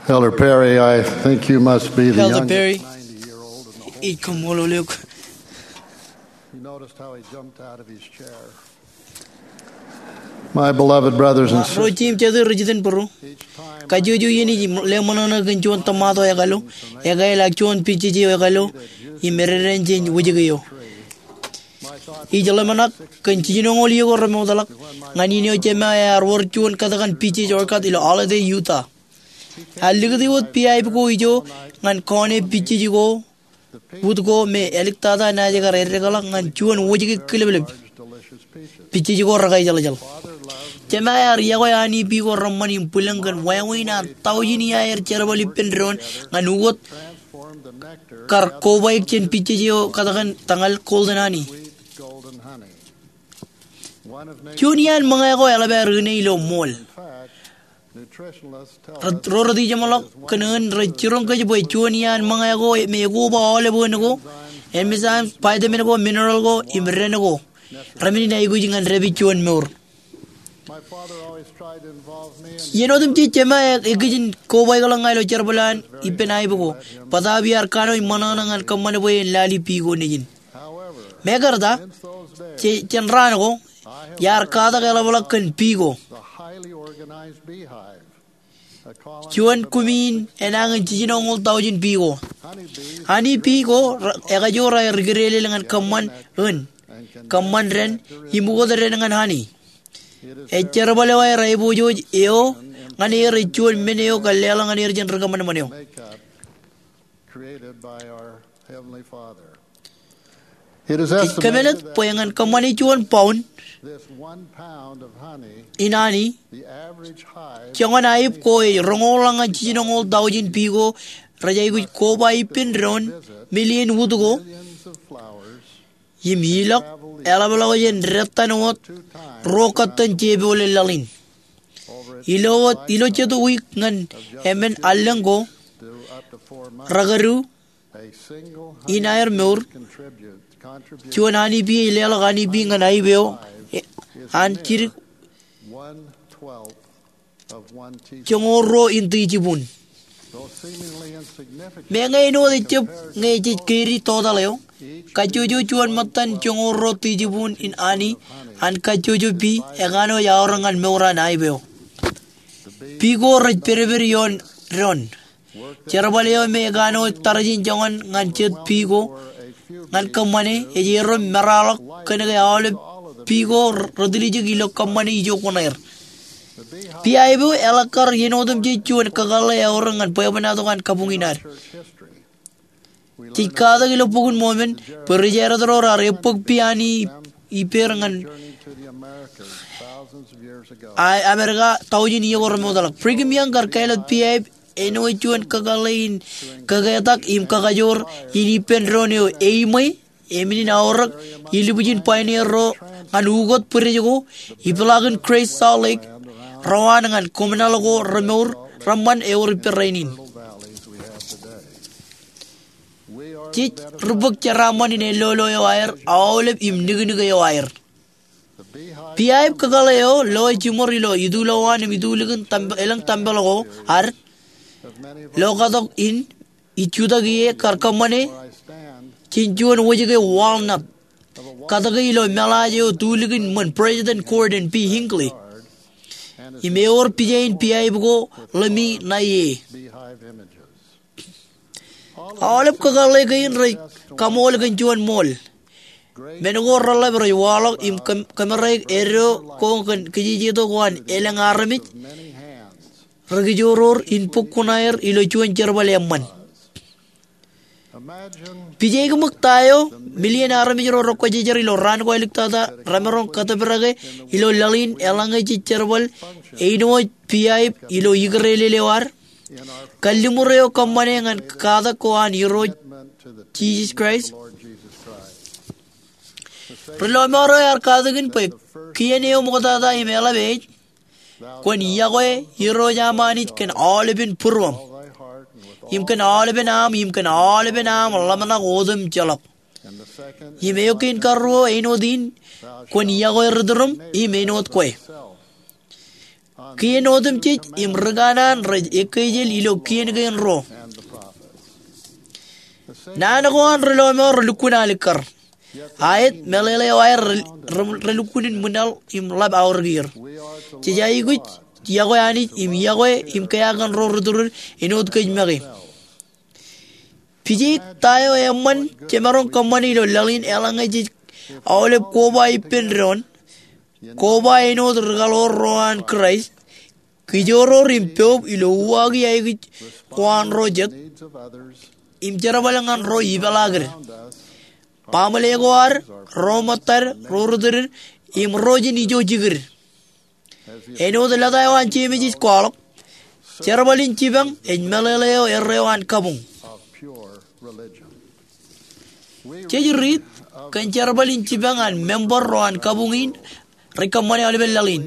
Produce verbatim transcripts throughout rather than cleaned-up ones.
Elder Perry, I think you must be the Elder youngest Perry, ninety-year-old in the whole ij kaṃṃoolol eok. You noticed how he jumped out of his chair. My beloved brothers and sisters, ro jeiū im jatū rej jitōnbōro, kajjojo iien ij leṃōṇōṇō kōn juon tōmato ekaḷo, ekāāl ak juon pijej eo ekaḷo im ededein jān wōjke eo. Ij ḷōmṇak kōn jiljinoñoul iiō ko remootḷọk ñan in eo jema ear wōr juon katakan pijej orchard ilo Holladay, Utah. Ear likūti wōt beeaib ko ijo ñan kọọne pijej ko, wūd ko me āliktata naaj kar eddekḷọk ñan juon wōjke kilōblōb. Pijej ko rekaijjeḷjeḷ. Jema ear yokwe honey bee ko reṃṃan im bwilōñ kōn wāween an taujin iaer jerbal ippān doon ñan ukōt kar kobaik jān pijej eo katakan tōñal golden honey. Juon iaan ṃōñā ko eḷap aer ine ilo ṃool. Ro rej ijeṃḷọk kōn eoon rej jiroñ kōj bwe juon iaan ṃōñā ko me ekoba aolep eoon ko, enzymes, vitamin ko, mineral ko im dān ko remen in aikuj ñan dāpij juon mour. Iien otemjej jema ekijin kobaikḷọk ña ilo jerbal an ippān aib ko. Bōtaab iar kanooj ṃōṇōṇō ñan kōṃṃan bwe en lale bee ko nejin. Mekarta, jān raan ko, iar katak eḷapḷọk kōn bee ko, juon kumi in enañin jiljinoñoul taujin bee ko. Honey bee ko ekajoor aer ikrelel ñan kōṃṃan eoon, kōṃṃan dān, im ukōt dān ñan honey. Ej jerbal eo aer aiboojoj eo ñan er ej juon men eo kar leḷọk ñan er jān ri kōṃanṃan eo. Ej kōmeḷeḷe bwe ñan kōṃṃane juon pound in honey, joñan aib ko ej roñoul ñan jiljinoñoul taujin bee ko rej aikuj koba ippān doon, million wūd ko, im ilọk eḷapḷọk jān detan wōt ruo kōttan jepoḷe laḷ in. Ilo jet wiik ñan emān allōñ ko, rekadu in aer mour, juon honey bee ej leḷọk honey bee ñan aib eo an jidik joñoul ruo in tijibuun. Meñe āinwōt ejjab ñe jej keidi total eo, kajjojo juon ṃōttan joñoul ruo tijibuun in honey an kajjojo bee ekanooj aorōk ñan mour an aib eo. Bee ko rej pedped ioon doon. Jerbal eo me ekanooj tarjin joñan ñan jet bee ko ñan kōṃṃane ej erom meraḷọk kōn ke aolep bee ko retiljek ilo kōṃṃane ijo kuṇaer. Beeaib eo eḷak kar iien otemjej juon kakōḷḷe eorōk ñan bwebwenato an kabuñ in ad. Jej katak ilo Bok in Mormon bwe ri-Jādid ro raar ebōk bee honey ippāer ñan Amerika taujin iiō ko remootḷọk. Brigham Young kar kāālōt beeaib āinwōt juon kakōḷḷe in kaketak im kakajoor in ippān doon eo eṃṃan, eṃṃan in aorōk ilubwijin pioneer ro ñan ukōt bwidej ko, ipeḷaakin Great Salt Lake, ro an ñan kōmnaḷ ko remour reṃṃan ewōr ippān rainin. Jej ri bōk jeraaṃṃan in ellolo eo aer aolep im niknik eo aer. Beeaib kakōḷḷe eo lo jiṃor ilo itulowaan im itulikin elōñ tempel ko ad, lo katok in ij jutak ie, kar kōṃṃane jān juon wōjke walnut, katōke ilo meḷaaj eo tulikin ṃōn President Gordon B. Hinckley, im ewōr pija in beeaib ko ḷōmi ṇae. Aolep kakōḷḷe kein rej kaṃool kōn juon ṃool. Men ko reḷap rej waḷọk im kōmeraik eddo ko kōn kijejeto ko an elōñ armej ri kijoror in bōk kuṇaer ilo juon jerbal eṃṃan. Pijaik ṃōk ta eo, million armej ro rekwōjarjar ilo raan ko āliktata remaroñ kōtōprak ilo laḷ in eḷaññe jej jerbal āinwōt beeaib ilo ikrelel eo ad, kalliṃur eo kōṃṃane ñan katak ko an Irooj Jisōs Kraist. Ri-lọmọọr eo ear katakin bwe kien eo ṃoktata im eḷap ej, kwōn yokwe Irooj aṃ Anij kōn aolepen būruōṃ, im kōn aolepen aṃ, im kōn aolepen aṃ ḷōmṇak otemjeḷọk. Im eo kein karuo āinwōt in, kwōn yokwe ri-tūrūṃ im āinwōt kwe. Kien otemjej im ri kanaan rej ekkejel ilo kien kein ruo. Naan ko an ri lọmọọr relukkuun alikkar. Aet, meḷeḷe eo aer re, re, relukkuun in ṃwilaḷ im ḷap aorōk er. Jej aikuj iọkwe Anij im iọkwe im kea kōn ro ri tōre āinwōt kōj make. Pije ta eo eṃṃan jemaroñ kōṃṃane ilo laḷ in eḷaññe jej aolep koba ippān doon, koba āinwōt ri kaḷoor ro an Kraist, kijoor im poub ilo uwaaki aikuj ko an ro jet, im jerbal ñan ro ipeḷaakid, baaṃle ko ad, ro ṃōttad, ro ri tōre, im ro jen ijo jikid. Āinwōt lōta eo an Jemes ej kwaḷọk, jerbal in jipañ ej meḷeḷe eo erreo an kabuñ. Jej riit kōn jerbal in jipañ an member ro an kabuñ in rej kōṃṃane aolepen laḷ in.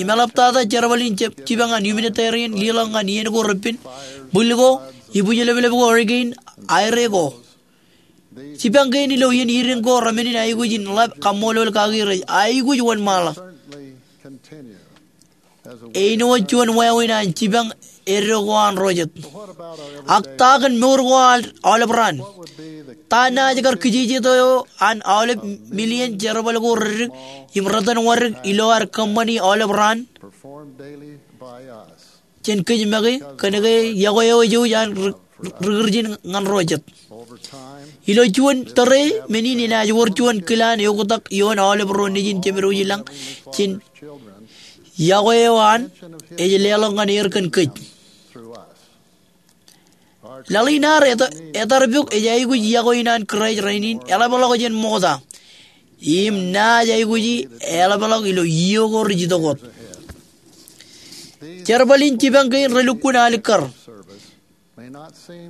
Im eḷaptata jerbal in jip, jipañ an humanitarian, leḷọk ñan iien ko repen, bwil ko, ibwijleplep ko, hurricane, aire ko. Jipañ kein ilo iien iren ko remenin aikuj in ḷap kaṃṃoolol kaki rej aikuj wōnṃaanḷọk. Āinwōt juon wāween an jipañ eddo ko an ro jet. Ak ta kōn mour ko an aolep raan? Ta naaj kar kijejet eo an aolep million jerbal ko reddik im retenwōdik ilo ad kōṃṃani aolep raan? Jān kōj make, kōnke iọkwe eo ejouj an ri, ri Kūrjin ñan ro jet. Ilo juon tōre men in enaaj wōr juon kilaan eoktak ioon aolep ro nejin jemedwōj i lañ jān iọkwe eo an ej leḷọk ñan er kōn kōj. Laḷ in ad eta, etar pok ej aikuj iọkwe in an Kraist rainin eḷapḷọk jān ṃokta. Im naaj aikuji eḷapḷọk ilo iiō ko rej itok wōt. Jerbal in jipañ kein relukkuun alikkar.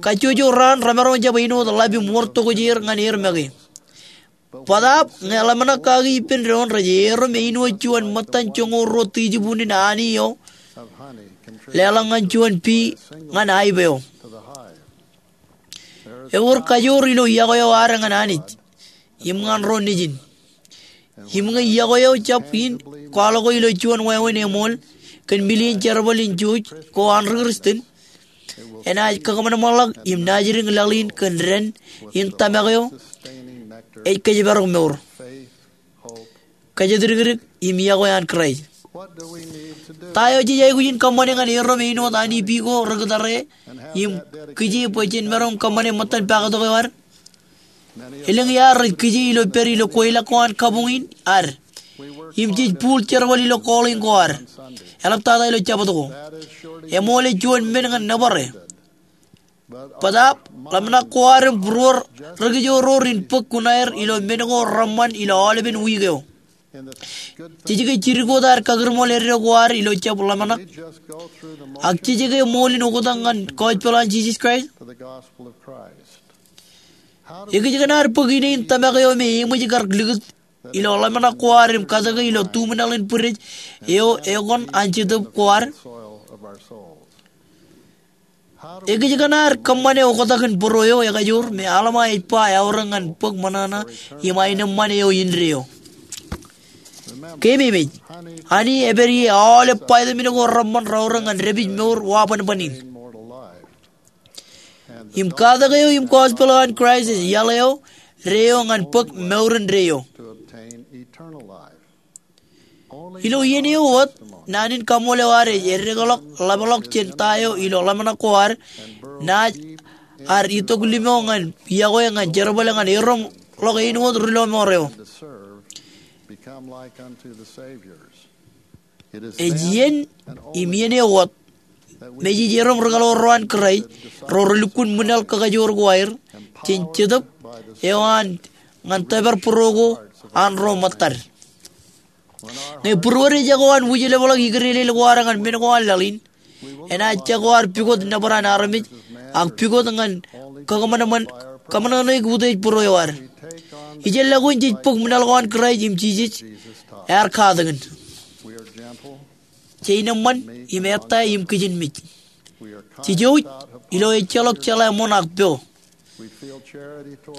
Kajjojo raan remaroñ jab āinwōt ḷap im wōr tokjāer ñan er make. Bōtaab ñe ḷōmṇak kaki ippān doon rej erom āinwōt juon ṃōttan joñoul ruo tijibuun in aani eo leḷọk ñan juon pea ñan aib eo. Ewōr kajoor ilo iọkwe eo ad ñan Anij im ñan ro nejin. Im ñe iọkwe eo jab in kwaḷọk ilo juon wāween eṃool kōn million jerbal in jouj ko an ri Kristian, enaaj kakōṃanṃanḷọk im naajdik laḷ in kōn dān in tōmak eo ej kōjparok mour, kōjatdikdik im iọkwe an Kraist. Ta eo jej aikuj in kōṃṃane ñan erom āinwōt aani pea ko ri-kōtare im kije bwe jen maroñ kōṃṃane ṃōttan paaktok eo ad? Elōñ iaad rej kije ilo pād ilo kweilọk ko an kabuñ in ad. Im jej bōk jerbal ilo calling ko ad. Eḷaptata ilo Jabōt ko. Eṃool ej juon men ñan nōbare. Bōtaab ḷōmṇak ko ad im būruod rekijoor in bōk kuṇaer ilo men ko reṃṃan ilo aolepen wiik eo. Jej ke jidik wōt ad kakūrṃool eddo ko ad ilo jab ḷōmṇak? Ak jej ke ṃool in oktak ñan gospel an Jisōs Kraist? Ekōjkan ad bōk ine in tōmak eo me eṃōj kar likūt ilo ḷōmṇak ko ad im katōke ilo tuṃwin laḷ in bwidej eo ekōṇaan jetōb ko ad? Ekōjkan ad kōṃṃane oktak in būruo eo ekajoor me Alma ej ba eaorōk ñan bōk ṃōṇōṇō im aenōṃṃan eo indeeo? Keememej, ani ej pād ie aolep vitamin ko reṃṃan reaorōk ñan dāpij mour wa bōnbōn in. Im katak eo im gospel eo an Kraist ej iaḷ eo deeo ñan bōk mour indeeo. Ilo iien eo wōt, naan in kaṃool eo ad ej eddekḷọk ḷapḷọk jān ta eo ilo ḷōmṇak ko ad, naaj ad itok limo ñan iọkwe ñan jerbal ñan erom ḷọk āinwōt ri lọmọọr eo. Ej iien im iien eo wōt me jej erom ri kaḷoor ro an Kraist, ro relukkuun ṃwilaḷ kakajoor ko aer, jān jetōb eo an ñan tōpar būruo ko an ro ṃōttad. Ñe būruod ejako an wūjlepḷọk ikdeelel ko ad ñan men ko an laḷ in, enaaj jako ad pukot nōbar an armej, ak pukot ñan kakōṃanṃan, kōṃanṃan utiej būruo eo ad. Ijellọkun jej bōk ṃwilaḷ ko an Kraist im Jisōs ear katakin. Jej nōṃṃan im ettā im kijenmej. Jej jouj ilo ejjeḷọk jeḷā ṃoṇ ak po.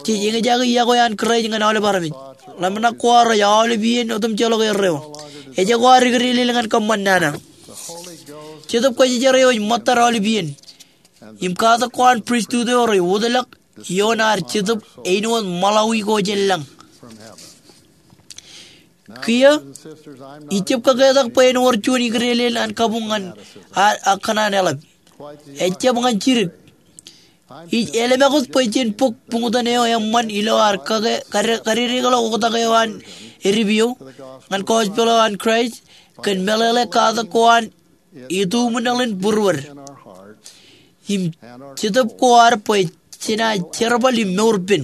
Jej eñjake iọkwe an Kraist ñan aolep armej. Ḷōmṇak ko ad rej aolep iien otemjeḷọk erreo. Ejako ad ikdeelel ñan kōṃṃan nana. Jetōb Kwōjarjar eo ej ṃōttad aolep iien. Im katak ko an pristut eo rej wōtlọk ioon ad jetōb āinwōt ṃaḷawi ko jān lañ. Kiiō, ij jab kaketak bwe en wōr juon ikdeelel an kabuñ ñan ad ak kōṇaan eḷap. Ejjab ñan jidik. Ij ālemekūt bwe jen bōk buñtōn eo eṃṃan ilo ad kake kade- kadedeḷọk oktak eo an edip eo ñan gospel eo an Kraist kōn meḷeḷe katak ko an ituuṃwin eḷin būruod im jetōb ko ad bwe jenaaj jerbal im mour pen.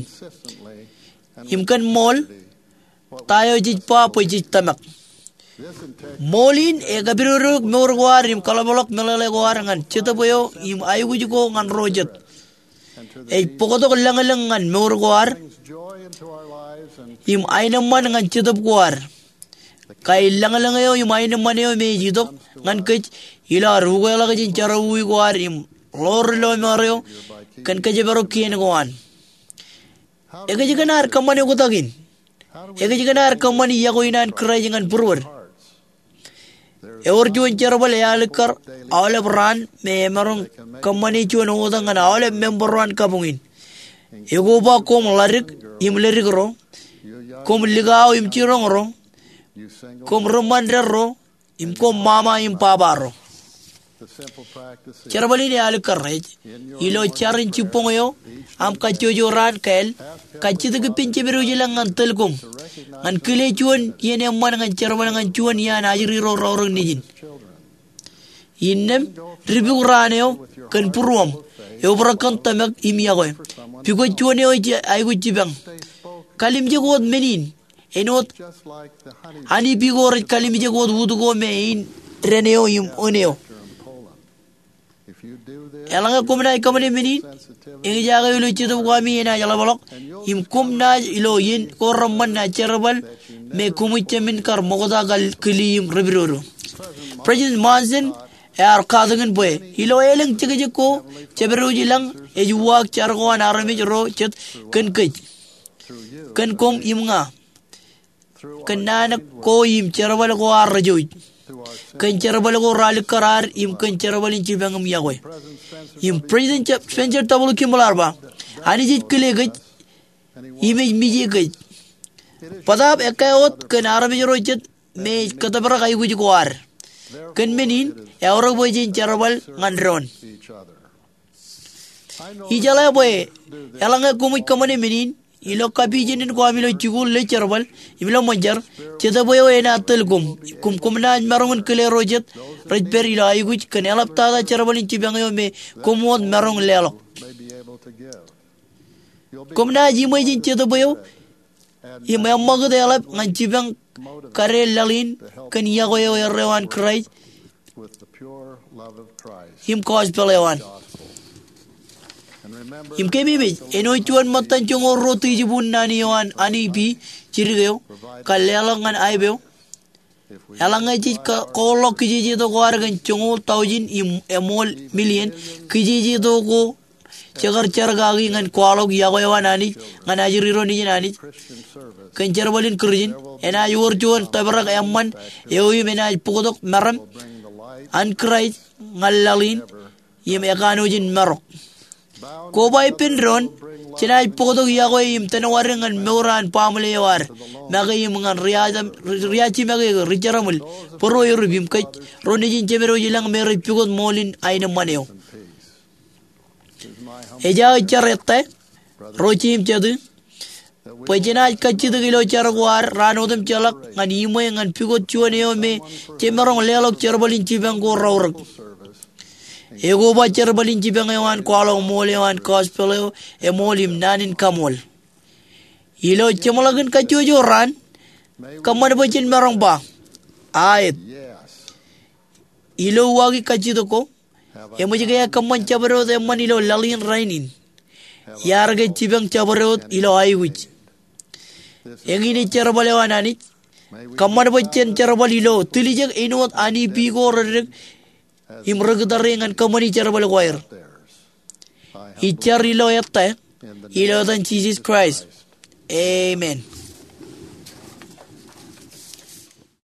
Im kōn ṃool, ta eo jej ba bwe jej tōmak. Ṃool in ekapidodoik mour ko ad im kaḷapḷọk meḷeḷe ko ad ñan jetōb eo im aikuj ko ñan ro jet. Ej bōktok lōñlōñ ñan mour ko ad im aenōṃṃan ñan jetōb ko ad. Kain lōñlōñ eo im aenōṃṃan eo me ej itok ñan kōj ilo ad ukeḷọk jān jerọwiwi ko ad im ḷoor lọmọọr eo kōn kōjparok kien ko an. Ekōjkan ad kōṃṃane oktak in? Ekōjkan ad kōṃṃane iọkwe in an Kraist ñan būruod? Ewōr juon jerbal ealikkar aolep raan me emaroñ kōṃṃane juon oktak ñan aolep member ro an kabuñ in. Ekoba koṃ ḷadik im ledik ro, koṃ likao im jiroñ ro, koṃ ri ṃandeḷ ro, im koṃ ṃaṃa im baba ro. Jerbal in ealikkar rej ilo jar in jibboñ eo aṃ kajjojo raan kāāl, kajjitōk ippān jemedwōj ilañ ñan tōl koṃ ñan kile juon iien eṃṃan ñan jerbal ñan juon iaan ajri ro raorōk nejin. Innām, dipuk raan eo kōn būruōṃ, eobrak kōn tōmak im iọkwe. Pukot juon eo ej aikuj jipañ. Kalimjek wōt men in āinwōt honeybee ko rej kalimjek wōt ut ko me ein dān eo im ōn eo. Eḷaññe koṃ naaj kōṃṃane men in, eñjake ilo jetōb ko ami enaaj ḷapḷọk, im koṃ naaj ilo iien ko reṃṃan naaj jerbal me koṃij jemān kar ṃokta kar kili im repidodo. President Monson ear katakin bwe ilo elōñ jekjek ko jemedwōj ilañ ej uwaak jar ko an armej ro jet kōn kōj, kōn koṃ im ña, kōn naan ko im jerbal ko an rijouj, kōn jerbal ko ralikkar ad im kōn jerbal in jipañ im iọkwe. Im President Spencer W. Kimball ear ba, Anij ej kile kōj im ej mije kōj. Bōtaab ekkā wōt kōn armej ro jet me ej kōtōprak aikuj ko ad. Kōn men in, eaorōk bwe jen jerbal ñan doon. Ijeḷā bwe eḷaññe koṃij kōṃṃane men in ilo kapijenen ko ami ilo jikuuḷ ilo jerbal im ilo ṃōn jar, jetōb eo enaaj tōl koṃ, koṃ, koṃ naaj maroñ in kile ro jet rej pād ilo aikuj kōn eḷaptata jerbal in jipañ eo me koṃ wōt maroñ leḷọk. Koṃ naaj iṃwe jān jetōb eo im eṃṃakūt eḷap ñan jipañ kade laḷ in kōn iọkwe eo erreo an Kraist im gospel eo an. Im keememej, āinwōt juon ṃōttan joñoul ruo tijibuun naan eo an honeybee jidik eo kar leḷọk ñan aep eo, eḷaññe jej ka- kourḷọk kijejeto ko ad kōn joñoul taujin im eṃool million kijejeto ko jekar jar kaki ñan kwaḷọk iọkwe eo an Anij ñan ajri ro nejin Anij kōn jerbal in Kūrjin, enaaj wōr juon tōprak eṃṃan eo im enaaj bōktok meram an Kraist ñan laḷ in im ekanooj in marok. Koba ippān doon, jenaaj bōktok iọkwe im tōnwādik ñan mour an baaṃle eo ad make im ñan ri-, ri-, ri-ajimake, ri-, ri-jeramwil, bōro erip im kōj ro nejin jemedwōj ilañ me rej pukot ṃool in aenōṃṃan eo. Ej aō jar ettā, ro jeiū im jatū, bwe jenaaj kajjitōk ilo jar ko ad raan otemjeḷọk ñan iṃwe ñan pukot juon eo me jemaroñ leḷọk jerbal in jipañ ko raorōk. Ekoba jerbal in jipañ eo an kwaḷọk ṃool eo an gospel eo eṃool im naan in kaṃool. Ilo jeṃḷọkin kajjojo raan, kōṃṃan bwe jen maroñ ba, aet. Ilo uwaaki kajjitōk ko, eṃōj ke ekōṃṃan jabdewōt eṃṃan ilo laḷ in rainin? Iar ke jipañ jabdewōt ilo aikuj? Eñin ej jerbal eo an Anij. Kōṃṃan bwe jen jerbal ilo tiljek āinwōt honeybee ko reddik im ri-kitare ñan kōṃṃani jerbal ko aer. Ij jar ilo ettā, ilo etan Jisōs Kraist. Amen.